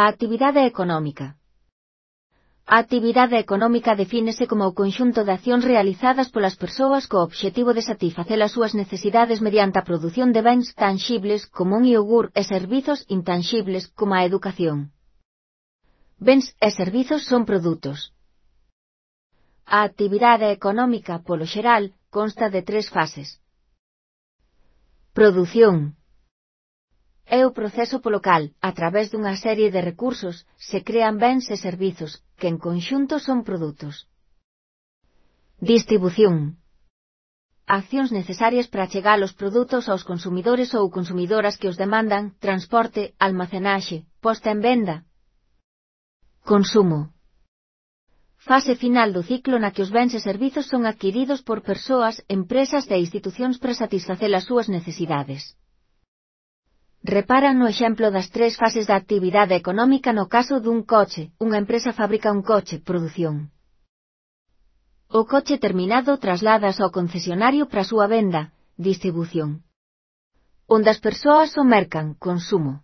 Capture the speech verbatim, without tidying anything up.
A actividade económica. A actividade económica defínese como o conxunto de accións realizadas polas persoas co obxectivo de satisfacer as súas necesidades mediante a produción de bens tanxibles como un iogur e servizos intanxibles como a educación. Bens e servizos son produtos. A actividade económica, polo xeral, consta de tres fases. Produción. É o proceso polo cal, a través dunha serie de recursos, se crean bens e servizos, que en conxunto son produtos. Distribución. Accións necesarias para chegar os produtos aos consumidores ou consumidoras que os demandan, transporte, almacenaxe, posta en venda. Consumo. Fase final do ciclo na que os bens e servizos son adquiridos por persoas, empresas e institucións para satisfacer as súas necesidades. Reparan no exemplo das tres fases da actividade económica no caso dun coche, unha empresa fabrica un coche, produción. O coche terminado trasladas ao concesionario para a súa venda, distribución. Onde as persoas o mercan, consumo.